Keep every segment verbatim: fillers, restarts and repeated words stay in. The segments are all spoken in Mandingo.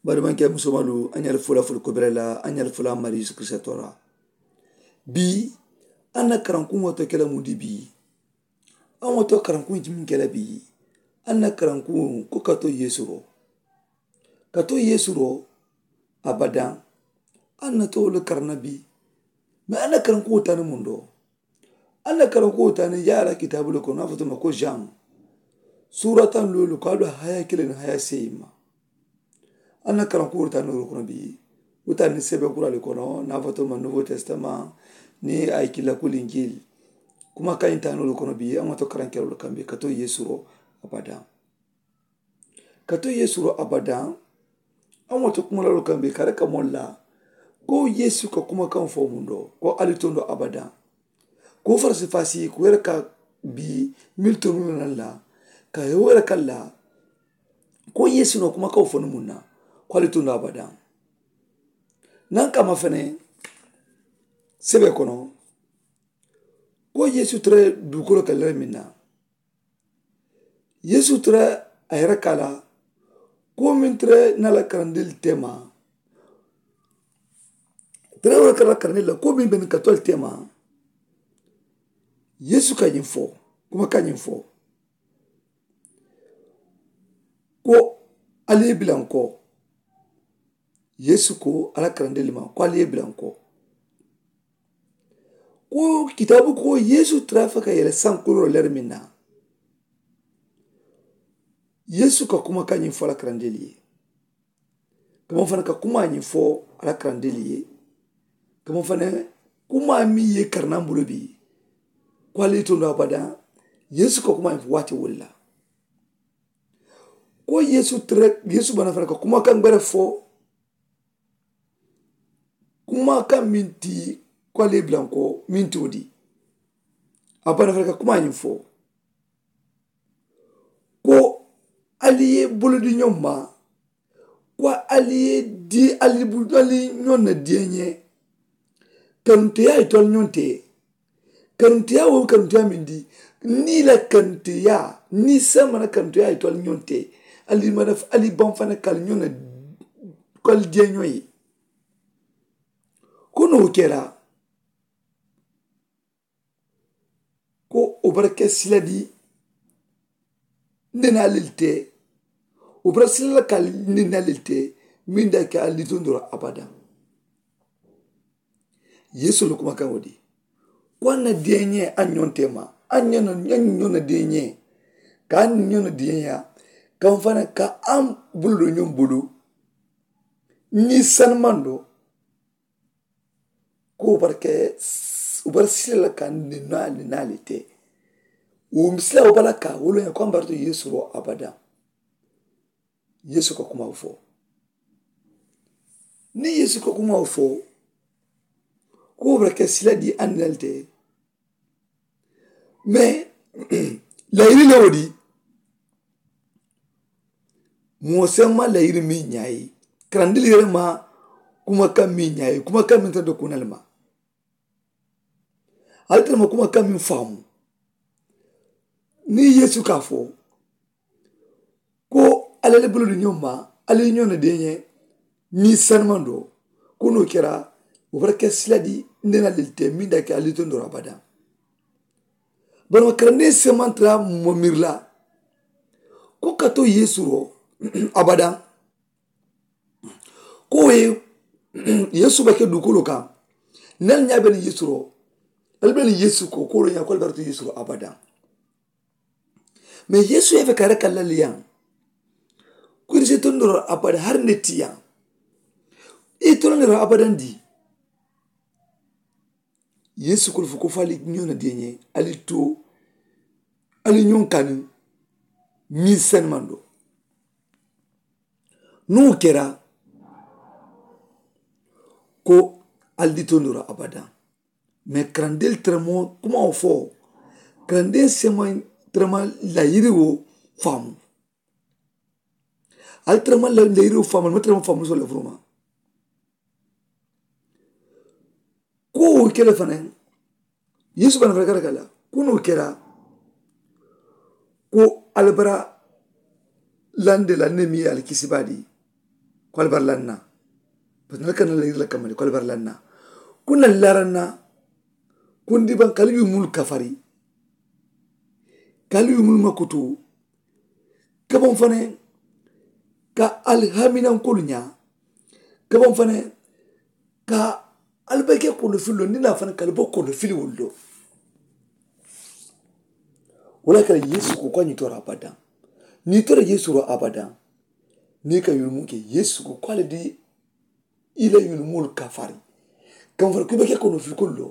Baadimaŋ ke musomalu, a ñaali fula fula kobere la, a ñaali fula mari yeesu kirisita tora. Bii a na karankuŋo to kela mundi bii. A ŋo to karankuŋo jimin kela bii. A na karankuŋo ko ka to yeesu ro, ka to yeesu ro. Abadaŋ. A na to wolu karanna bii. Me a na karankuŋo tani mundo. A na karankuŋo tani yaara kitaabu le kono a fo tuma ko jaŋ. Suura taŋ loolu ko a do haya kiliŋ haya seyi ma. A na karankuŋo tani loolu kono bii. Wo tani sebe kura le kono na a fo tuma nuwo testama. Ni a ye kila ko linjil. Kuma kaŋ ye tani loolu kono bii a ŋo to karankeroolu kaŋ bii ka to yeesu ro. Abadaŋ. Ka to yeesu ro abadaŋ. A ŋo to kuma loolu kaŋ bii ka reka moolu la. Ko yeesu ka kuma kaŋ fo mundo ko ali tondo abadaŋ. Ko farasi fasi ko yere ka bii mili to mili naŋ la. Ka ye wo yere ka la. Ko yeesu no kuma kaŋ fo ni muŋ na. Ko ali tondo abadaŋ. Naŋ kama fene sebe kono. Ko yeesu tere dukolo ka lere miŋ na. Yeesu tere a yere ka la. Ko meŋ tere na la karandili tema. Tere wo kala karandili la ko meŋ be niŋ katoli tema. Yeesu ka ñiŋ fo kuma ka ñiŋ fo. Ko ali ye bilanko. Yeesu ko a la karandili ma ko ali ye bilanko. Ko kitaabu ko yeesu tara fo ka yele sankuloo leri meŋ na. Yeesu ka kuma ka ñiŋ fo a la karandeli ye. Kama fana ka kuma ñiŋ fo a la karandeli ye. Kama fana kuma meŋ ye karanaŋ bulu bi. Ko ali ye tondo abada. Yeesu ka kuma ñiŋ fo waati wolu la. Ko yeesu tara yeesu bana fana ka kuma kaŋ gbere fo. Kuma kaŋ meŋ ti ko ali ye bilanko meŋ ti wo di. A bana fana ka kuma ñiŋ fo. Ko ali ye bolodi ñoŋ ma. Ko ali ye di ali ali ñoŋ na diyeñe. Kanunteya ye to ali ñoŋ te. Kanunteya wo kanunteya meŋ di. Niŋ i la kanunteya niŋ i sama na kanunteya ye to ali ñoŋ te. Ali mana ali baŋ fana ka ali ñoŋ na ko ali diyeño ye. Ko no wo kera. Ko wo bara ke sila di. Nde na lil te. Wo bara sila la ka nde na lil te. Min da ke a litondoro abada. Yesu la kuma kaŋ wo di. Ko a na diyeñe a ñoŋ tema a ñoŋ na diyeñe. Ka a ñoŋ na diyeña. Kaŋ fana ka a bulu do ñoŋ bulu. Ni sanumando. Ko wo bara ke wo bara sila la ka ninaa ninaa le te. Wo misila wo bala ka wo loña ko a bara to yesu ro abada. Yesu ka kuma wo fo. Ni yesu ka kuma wo fo. Ko wo bara ke sila di a ninaa le te. Mais layiri le wo di. Moo seŋ ma layiri meŋ ñaa ye. Karandili yere ma kuma kaŋ meŋ ñaa ye kuma kaŋ meŋ tara do kuna le ma. Ali tara ma kuma kaŋ meŋ faamu. Niŋ yesu ka a fo ko ali ali bulu di ñoŋ ma ali ñoŋ na deñe. Niŋ sanumando ko no kera wo bara ke sila di nde na lili te meŋ da ke ali tondoro abada. Bari wo karandiŋ seman tara mo miri la. Ko ka to yesu ro abada. Ko wo ye yesu ba ke dukolo kaŋ. Niŋ ali ñaa be niŋ yesu ro ali be niŋ yesu ko ko wo lo ñaa ko ali bara to yesu ro abada. Mais yesu ye fe ka reka lali yaŋ. Ko iri si tondoro abada hari ne ti yaŋ. I tondoro abadan di. Yesu kulu fo ko fo ali ñoŋ na deñe ali to ali ñoŋ kanu. Min senmando. Niŋ wo kera ko ali di tondoro abadan. Mais karandeli teremo kuma wo fo. Karandeli sema terema layiri wo faamu. Ali terema layiri wo faamu ali ma terema faamu so lafuruma. Ko wo kele fanaŋ. Yesu bana fanaŋ kata kala ko no kera. Ko ali bara lande la ne mi ye ali kisi baadi. Ko ali bari lanna. Bari nali ka na la yiri la kamma de ko ali bari lanna. Ko nali laranna. Ko ndi baŋ ka ali yumulu kafari. Ka ali yumulu makutu. Ka baŋ fanaŋ ka ali haminankoolu ñaa. Ka baŋ fanaŋ ka ali bake kono filoo ndi naa fanaŋ ka ali bo kono fili wullo. Wala kala yeesu ko ko a ñitora abadaŋ. Nitora yeesu ro abadaŋ. Ni ka yulumu ke yeesu ko ko ali di i la yulumolu kafari. Kaŋ fari ku i be ke kono fili kulu lo.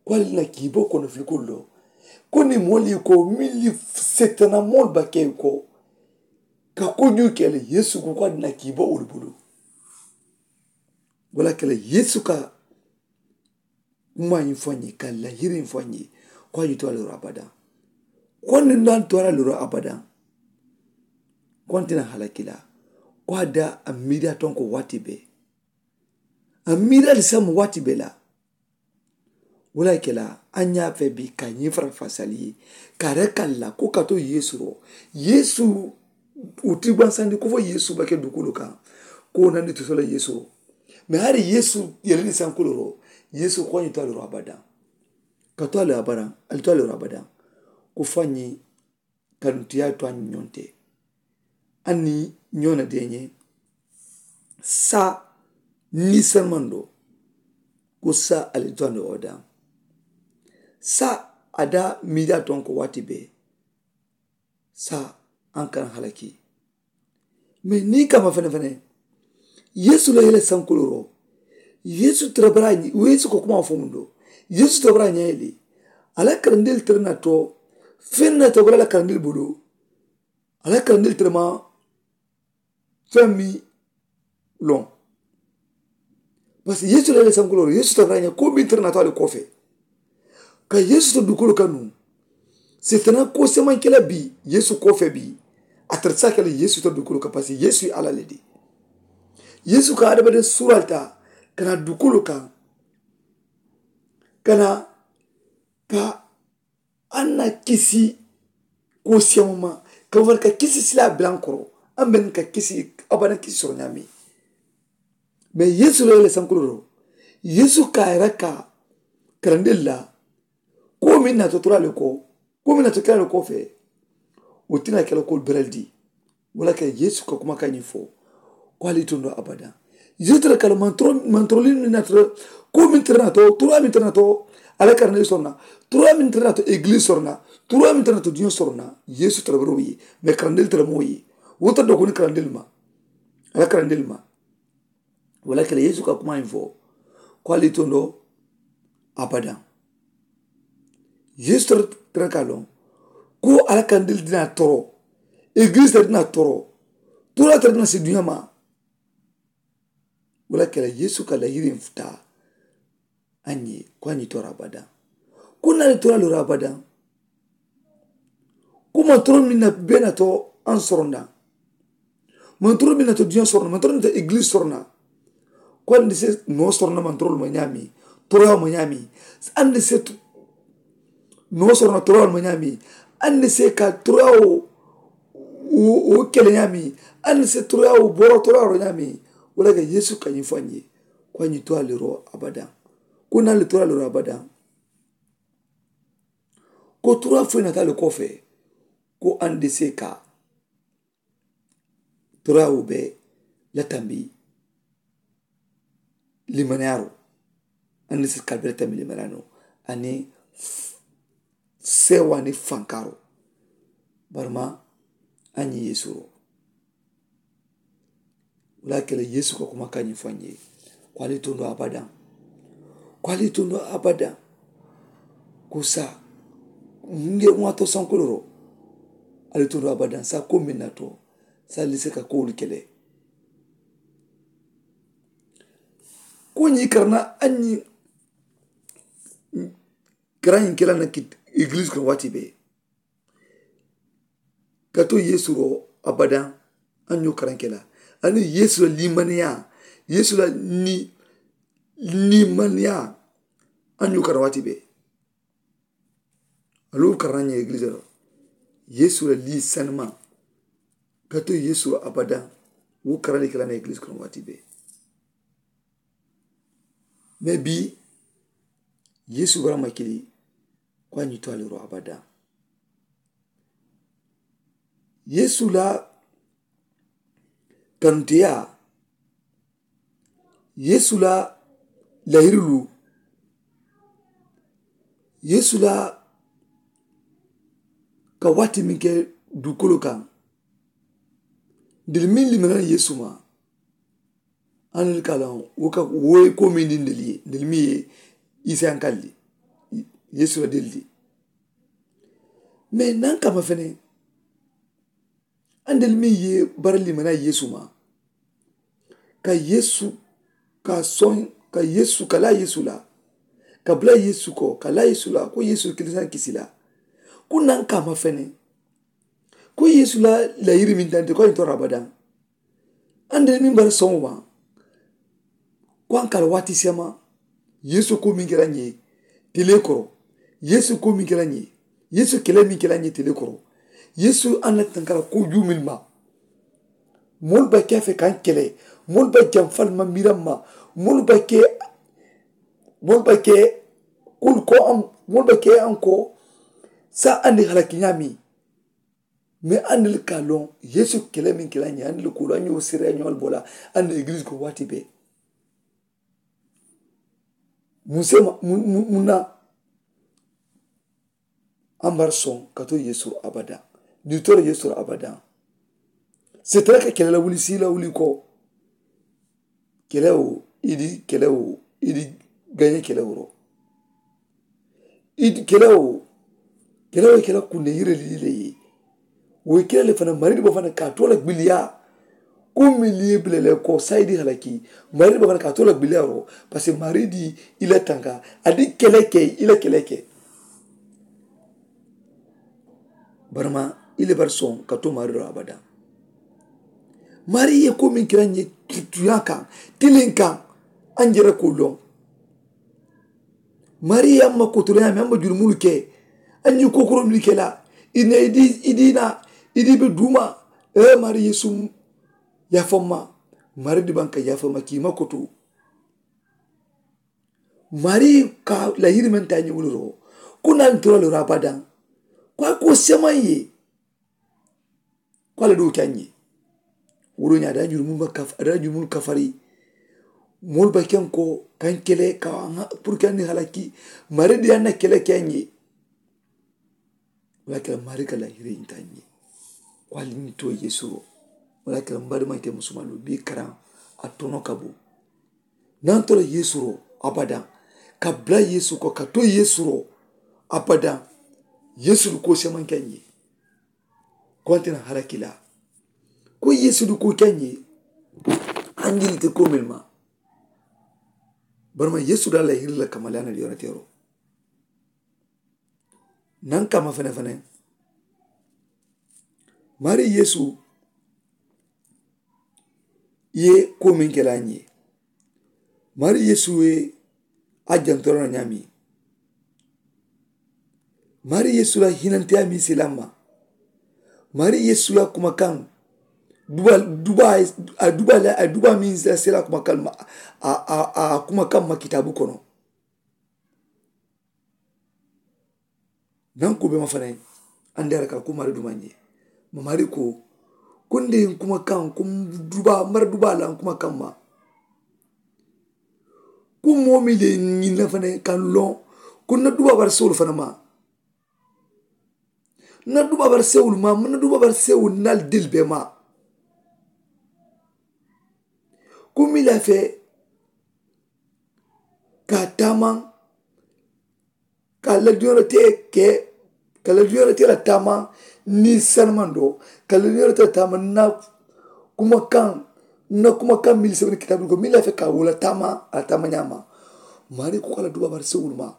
Ko ali na kiibo kono fili kulu lo. Ko ni moolu ye ko milli setana moolu ba ke ko ka ko ñuu ke le yeesu ko ko ali na kiibo wolu bulu. Wala kala yeesu ka kuma ñiŋ fo a ñe ka lahiri ñiŋ fo a ñe. Ko a ñiŋ to a loro abadaŋ. Ko a niŋ naa to a la loro abadaŋ. Ko a nte na halakila. Ko a da a miidiya tonko waati be. A miidiya lisamu waati be la. Wala kela a ñaa fe bi ka ñiŋ fara fasali ye. Ka re kalla ko ka to yeesu ro yeesu. Uti gbansandi ko fo yeesu ba ke dukulu kaŋ. Ko nandi tusola yeesu ro. Me hari yeesu yelini sankuloro. Yeesu ko a ñiŋ to a loro abadaŋ. Ka to a loro abadaŋ. Ali to a loro abadaŋ. Ko fo a ñiŋ. Kanuŋ ti ye a ye to a ñiŋ ñoŋ te. A niŋ ñoŋ na deeñe. Saa niŋ salimando. Ko saa ali to a loro abadaŋ. Saa a daa miidiya toŋ ko waati bee. Saa a n kana halaki. Mee niŋ i kamma fene fene. Yeesu la yele sankuloro. Yeesu tara bara ñe yeesu ko kuma fo mundo. Yeesu tara bara ñe yele. A la karandil tara na to. Feŋ na to bara la karandil bulu. A la karandil tara ma. Feŋ mi loŋ. Parce que yeesu la yele sankuloro yeesu tara bara ñe ko mi tara na to ali kofe. Ka yeesu to dukulu kanu. Setana ko semankela bi yeesu kofe bi. A tara sa kela yeesu to dukulu ka parce que yeesu ye ala le di. Yeesu ka adamaden suralta kana dukulu kan. Kana ka an na kisi. Ko siyamuma ka wari ka kisi sila bilankoro. An ben ka kisi abana kisi soro ñami. Mais yeesu la yele sankuloro yeesu ka yara ka karandilla. Ko min na to turale ko ko min na to kirale ko fe. Wo tina kela ko beraldi. Wala ke yeesu ka kuma ka ñiŋ fo. Ko ali tondo abada. Yeesu tara kala mantoro mantoro li min na tara. Ko min tara na to turu min tara na to. Ala karandil sorna turu min tara na to eglis sorna. Turu min tara na to diño sorna yeesu tara baro ye. Mais karandil tara mo ye. Wo tara do ko ni karandil ma. Ala karandil ma. Wala kele yeesu ka kuma ñiŋ fo. Ko ali tondo abada. Yeesu tara tara ka loŋ. Ko ala karandil dina toro. Eglis tara dina toro. Turu tara dina si duña ma. Wala kele yeesu ka la yiriŋ futa. A ñe ko a ñe tora abadaŋ. Ko naali tora lora abadaŋ. Ko mantoro min na bee na to an soronda. Mantoro min na to diño sorona mantoro min na to eglis sorona. Ko andi se no sorona mantoro ma ñami. Toroya ma ñami. Andi se no sorona toroya ma ñami. Andi se ka toroya o o kele ñami. Andi se toroya o boro toroya ro ñami. Wala ga yesu ka ñi fanye. Ko a ñi to aliro abada. Ko na le to aliro abada. Ko toroya fo na ta le kofe. Ko andi se ka toroya o be latambi limaniyaro. Andi se ka be latambi limaniyaro. Ani sewa ni fankaro. Barma a ñi yesu ro. Wala kele yesu ka kuma ka ñi fanye. Ko ali tondo abada. Ko ali tondo abada. Ko sa nge wato sankuloro. Ali tondo abada sa ko min na to. Sa lise ka ko kele. Ko ñi karana a ñi karañiŋ kela na ki eglis kono waati be. Ka to yeesu ro abadaŋ. A ñoo karaŋ kela. Ani yeesu la limaniya yeesu la ni limaniya. A ñoo karaŋ waati be. Alu karaŋ ñe eglis ro yeesu la li sanima. Ka to yeesu ro abadaŋ. Wo karaŋ le ke la na egiliisi kono waati bee. Mais bii, yeesu bara ma kili ko a ñiŋ to a le ro abadaŋ. Yeesu la kanuteyaa, yeesu la lahiriluu, yeesu la ka waati meŋ ke duukooloo kaŋ, ntelu meŋ limana la yeesu ma, aniŋ ka loŋ wo ka wo ye koo meŋ di ntelu ye ntelu meŋ ye isayanka le, yeesu la delu de. Mais naŋ kamma fene, aniŋ ntelu meŋ ye bara limana yeesu ma, ka yeesu ka soŋ, ka yeesu ka laa yeesu la, ka bula yeesu ko ka laa yeesu la ko yeesu kilisaŋ kisi la. Ko naŋ kamma fene, ko yeesu la layiri meŋ tante ko a ye tora abadaŋ. Aniŋ ntelu meŋ bara soŋo ma, ko a ka la waati seema, yeesu ko meŋ ke la ñe tele koro, yeesu ko meŋ ke la ñe, yeesu kele meŋ ke la ñe tele koro, yeesu a na tanka la ko juu meŋ ma. Moolu ba ke a fe kaŋ kele, moolu ba jamfa le ma miira ma, moolu ba ke moolu ba ke kulu ko moolu ba ke aŋ ko sa andi halaki ñaami. Mais aniŋ ka loŋ yeesu kele meŋ ke la ñe aniŋ le kulu a ñoo sere a ñoo le bola aniŋ egiliisi ko waati bee. Muŋ se ma muŋ na? Ambari soŋ ka to yeesu abadaŋ. Niŋ i tora yeesu abadaŋ, setara ka kele la wuli sii la wuli ko kele wo i di kele wo i di gañe kele woro. I di kele wo kele wo i kele kunde yire li le ye. Wo i kele le fana maridi bo fana ka to la gbiliya. Ko mi li bile le ko sayidi halaki maridi bo fana ka to la gbiliya woro. Parce que maridi i la tanka a di kele ke i la kele ke. Barama i le bari soŋ ka to maari la abadaŋ. Maari ye ko meŋ kira ñe tutuyaŋ kaŋ tiliŋ kaŋ a njere ko loŋ. Maari ye a ma kotoro ñaami a ma jurumulu ke a ñiŋ kokoro mili ke la i ne i di i di na i di be duuma. Ee maari yeesu yaafamma. Maari di baŋ ka yaafamma kii ma koto. Mari ka la yirimantaa ñiŋ wuliroo ko naŋ tora lora abadaŋ. Ko a ko semaŋ ye ko a la doo ke a ñe. Wuro ñaa daa jurumunu ma kaf a daa jurumunu kafari. Moolu ba keŋ ko kaŋ kele ka puru ke a ni halaki. Mari di a na kele ke a ñe. Wala kela mari ka la yirimantaa ñe. Ko ali ni to yeesu ro wala kela mari maŋ ke musumalu bi karaŋ a tono ka bo. Naŋ to la yeesu ro abadaŋ ka bula yeesu ko ka to yeesu ro abadaŋ. Yeesu du ko semanke ñe. Ko ante na halakila ko yeesu du ko ke ñe. Anjili te ko men ma barama yeesu da la hiri la kamale ana di yonatero. Naŋ kama fene fene mari yeesu ye ko meŋ ke la ñe. Mari yeesu ye a jantora na ñaami. Mari yeesu la hinanteya mi sila ma. Mari yeesu la kumakaŋ duba duba a duba la a duba mi sila kumakaŋ ma a a a kumakaŋ ma kitabu kono. Naŋ ko be ma fanaŋ andi a la ka la ko mari duma ñe. Ma mari ko ko nde kuma kaŋ ko duba mari duba la kuma kaŋ ma. Ko moo mi le ñiŋ na fanaŋ kaŋ loŋ ko na duba bari sewolu fanaŋ ma. Na duba bari sewolu ma na duba bari sewolu na dil be ma. Ko mi la fe ka taamaŋ ka la duñooroo te ke ka la duñooroo te la taamaŋ niŋ sanamandoo ka la duñooroo te la taamaŋ na kumakaŋ na kumakaŋ mili sewuni kitaabu ko miŋ lafi ka wo la taamaŋ a la taamaŋ ñaama. Maari ko ka la duba bari sewulu ma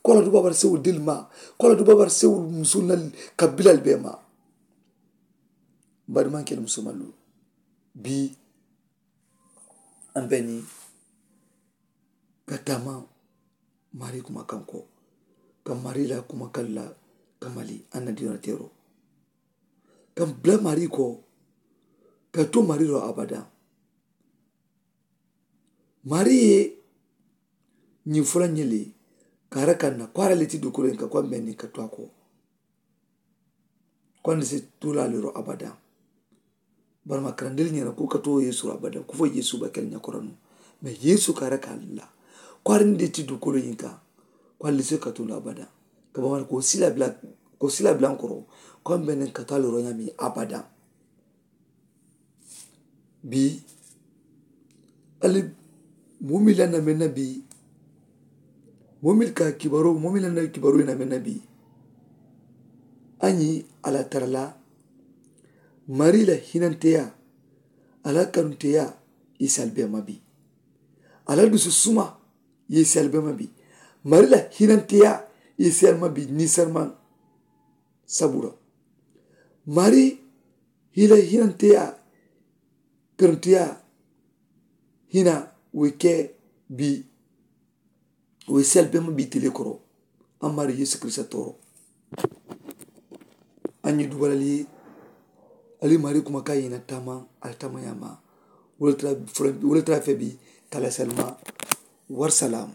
ko la duba bari sewulu dili ma ko la duba bari sewulu musu na ka bilal bee ma. Bari maŋ kele musu malu bii. Ambeni ka taama mari kuma kanko ka mari la kuma kalla ka mali anna diyona tero ka bla mari ko ka to mari ro abada. Mari ye ñiŋ fula ñiŋ le ka a raka na ko a ra le ti dukuloyin ka ko a mbe niŋ ka to a ko ko a ni si tula le ro abada. Bari ma karandili ñena ko ka to yesu ro abada ko fo yesu ba kele ñakora nu. Mais yesu ka a raka la ko a ra ni de ti dukuloyin ka ko a lise ka tula abada. Ka ba ko sila bila ko sila bila koro ko a mbe niŋ ka to a le ro ñami abada. Bii ali moo miŋ la na meŋ na bii moo miŋ ka kibaroo moo miŋ la na kibaroo ye na meŋ na bii. A ñiŋ a la tara la mari la hinanteyaa a la kanunteyaa i si ali bee ma bii. A la dusu suma ye i si ali bee ma bii. Mari la hinanteyaa ye i si ali ma bii niŋ sarimaŋ sabura mari hila hinanteyaa kanunteyaa hina wo ye ke bii. Wo ye sel bee ma bii tele koro a mari yesu kirista tooro. A ñi dubalali ye ali mari kuma ka yina tama ali tama yama. Wo le tara fe bii kala salima. Warsalam.